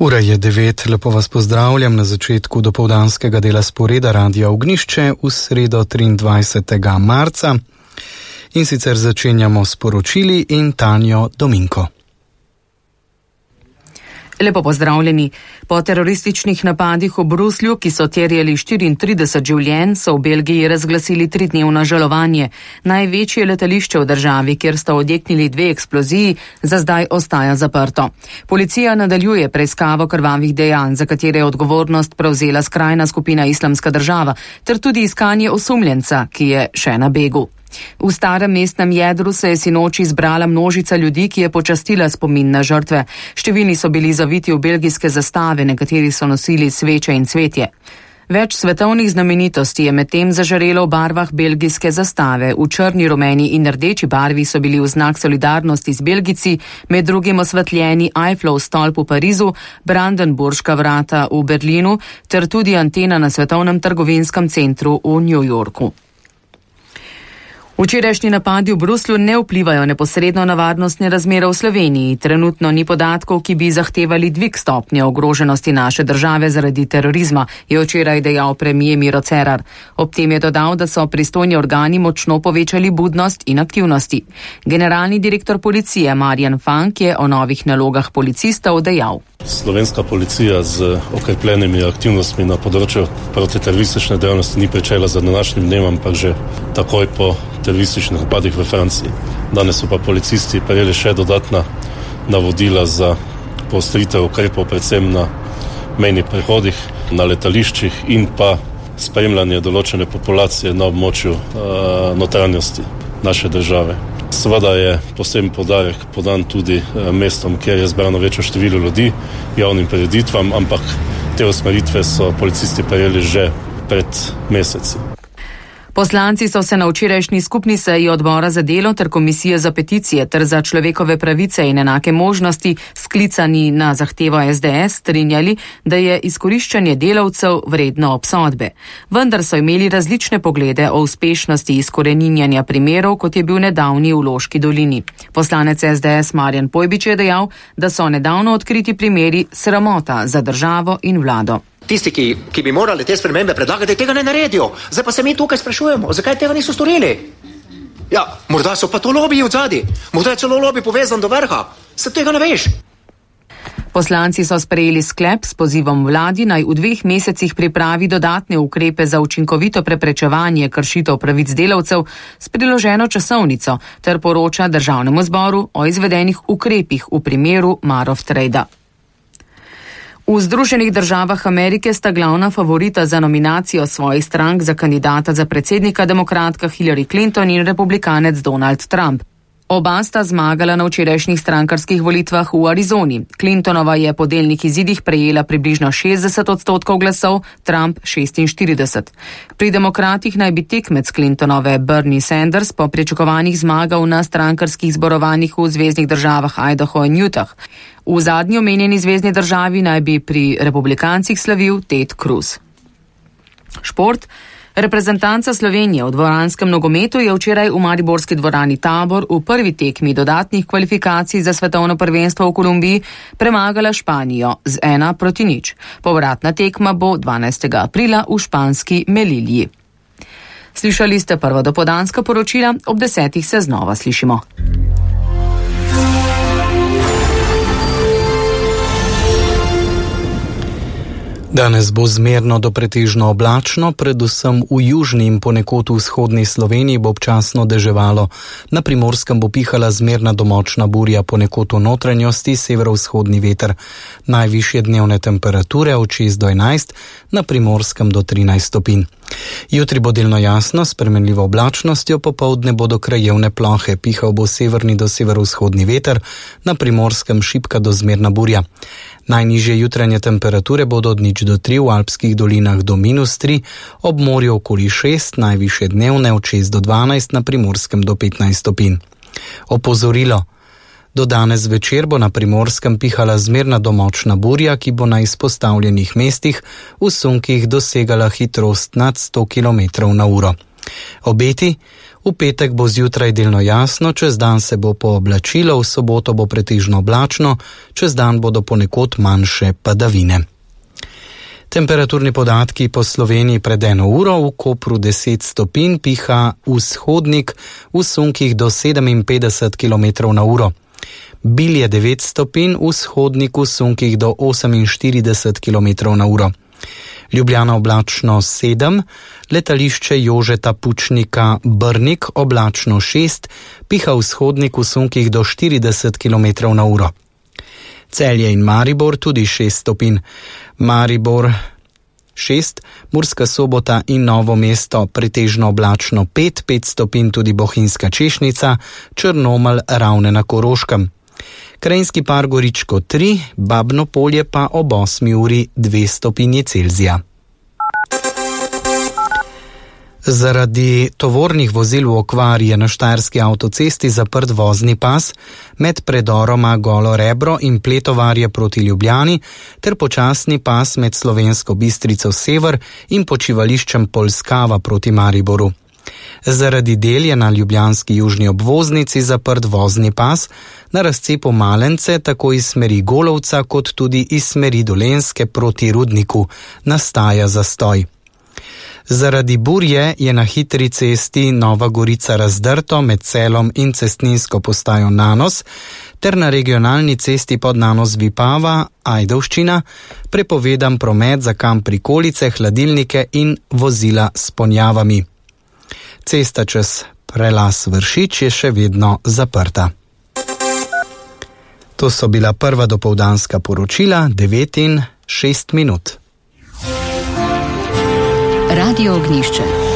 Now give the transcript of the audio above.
Ura je 9, lepo vas pozdravljam na začetku dopoldanskega dela sporeda Radia Ognjišče v sredo 23. marca. In sicer začenjamo s poročili in Tanjo Dominko. Lepo pozdravljeni. Po terorističnih napadih v Bruslju, ki so terjali 34 življenj, so v Belgiji razglasili 3-dnevno žalovanje. Največje letališče v državi, kjer sta odjeknili 2 eksploziji, za zdaj ostaja zaprto. Policija nadaljuje preiskavo krvavih dejanj, za katere je odgovornost prevzela skrajna skupina Islamska država, ter tudi iskanje osumljenca, ki je še na begu. V starem mestnem jedru se je sinoči zbrala množica ljudi, ki je počastila spomin na žrtve. Številni so bili zaviti v belgijske zastave, nekateri so nosili sveče in cvetje. Več svetovnih znamenitosti je medtem zažarelo v barvah belgijske zastave. V črni, rumeni in rdeči barvi so bili v znak solidarnosti z Belgijci, med drugim osvetljeni Eiffelov stolp v Parizu, Brandenburška vrata v Berlinu ter tudi antena na svetovnem trgovinskem centru v New Yorku. Včerajšnji napadi v Bruslju ne vplivajo neposredno na varnostne razmere v Sloveniji. Trenutno ni podatkov, ki bi zahtevali dvig stopnje ogroženosti naše države zaradi terorizma, je včeraj dejal premier Miro Cerar. Ob tem je dodal, da so pristojni organi močno povečali budnost in aktivnosti. Generalni direktor policije Marjan Fank je o novih nalogah policistov dejal. Slovenska policija z okrepljenimi aktivnostmi na področju protiteroristične dejavnosti ni pričela za današnjim dnem, ampak že takoj po terorističnih napadih v Franciji. Danes so pa policisti prejeli še dodatna navodila za poostritev ukrepov predvsem na mejnih prehodih, na letališčih in pa spremljanje določene populacije na območju notranjosti naše države. Seveda je poseben poudarek podan tudi mestom, kjer je zbrano večjo število ljudi, javnim prireditvam, ampak te usmeritve so policisti prejeli že pred meseci. Poslanci so se na včerajšnji skupni seji odbora za delo ter komisije za peticije ter za človekove pravice in enake možnosti, sklicani na zahtevo SDS, strinjali, da je izkoriščanje delavcev vredno obsodbe. Vendar so imeli različne poglede o uspešnosti izkoreninjanja primerov, kot je bil nedavni v Loški dolini. Poslanec SDS Marjan Pojbič je dejal, da so nedavno odkriti primeri sramota za državo in vlado. Tisti, ki bi morali te spremembe predlagati, tega ne naredijo. Zdaj pa se mi tukaj sprašujemo, zakaj tega niso storili. Ja, morda so pa to lobiji od zadaj. Morda je celo lobij povezan do vrha. Se tega ne veš. Poslanci so sprejeli sklep s pozivom vladi, naj v 2 mesecih pripravi dodatne ukrepe za učinkovito preprečevanje kršitev pravic delavcev s priloženo časovnico ter poroča Državnemu zboru o izvedenih ukrepih v primeru Marof Trade. V Združenih državah Amerike sta glavna favorita za nominacijo svojih strank za kandidata za predsednika demokratka Hillary Clinton in republikanec Donald Trump. Oba sta zmagala na včerajšnjih strankarskih volitvah v Arizoni. Clintonova je po delnih izidih prejela približno 60% glasov, Trump 46%. Pri demokratih naj bi tekmec Clintonove Bernie Sanders po pričakovanjih zmagal na strankarskih zborovanjih v zveznih državah Idaho in Utah. V zadnji omenjeni zvezni državi naj bi pri republikancih slavil Ted Cruz. Šport. Reprezentanca Slovenije v dvoranskem nogometu je včeraj v mariborski dvorani Tabor v prvi tekmi dodatnih kvalifikacij za svetovno prvenstvo v Kolumbiji premagala Španijo z 1-0. Povratna tekma bo 12. aprila v španski Melilji. Slišali ste prva dopoldanska poročila, ob 10. se znova slišimo. Danes bo zmerno do pretežno oblačno, predvsem v južni in ponekod v vzhodni Sloveniji bo občasno deževalo. Na Primorskem bo pihala zmerna do močna burja, ponekod v notranjosti severovzhodni veter. Najvišje dnevne temperature od 6 do 11, na Primorskem do 13 stopinj. Jutri bo delno jasno, s spremenljivo oblačnostjo, popoldne bodo krajevne plohe, pihal bo severni do severovzhodni veter, na Primorskem šibka do zmerna burja. Najnižje jutranje temperature bodo od 0 do 3, v alpskih dolinah do -3, ob morju okoli 6, najvišje dnevne od 6 do 12, na Primorskem do 15 stopinj. Opozorilo. Do danes večer bo na Primorskem pihala zmerna do močna burja, ki bo na izpostavljenih mestih v sunkih dosegala hitrost nad 100 km/h. Obeti: V petek bo zjutraj delno jasno, čez dan se bo pooblačilo, v soboto bo pretežno oblačno, čez dan bodo ponekod manjše padavine. Temperaturni podatki po Sloveniji pred 1 uro: v Kopru 10 stopinj, piha vzhodnik, v sunkih do 57 km/h. Bilje 9 stopinj, vzhodnik, v sunkih do 48 km/h. Ljubljana oblačno 7, letališče Jožeta Pučnika Brnik oblačno 6, piha vzhodnik, v sunkih do 40 km/h. Celje in Maribor tudi 6 stopinj, Maribor 6, Murska Sobota in Novo mesto pretežno oblačno 5 stopinj, tudi Bohinjska Češnica, Črnomelj, Ravne na Koroškem. Krajinski par Goričko 3, Babno Polje pa ob 8 uri 2 stopinji Celzija. Zaradi tovornih vozil v okvari je na štajerski avtocesti zaprt vozni pas med predoroma Golo Rebro in Pletovarje proti Ljubljani ter počasni pas med Slovensko Bistrico Sever in počivališčem Polskava proti Mariboru. Zaradi del je na ljubljanski južni obvoznici zaprt vozni pas na razcepu Malence, tako iz smeri Golovca kot tudi iz smeri Dolenjske proti Rudniku. Nastaja zastoj. Zaradi burje je na hitri cesti Nova Gorica razdrto med Celom in cestninsko postajo Nanos ter na regionalni cesti pod Nanos Vipava, Ajdovščina, prepovedan promet za kamp prikolice, hladilnike in vozila s ponjavami. Cesta čez prelaz Vršič je še vedno zaprta. To so bila prva dopoldanska poročila, 9:06. Radio Ognjišče.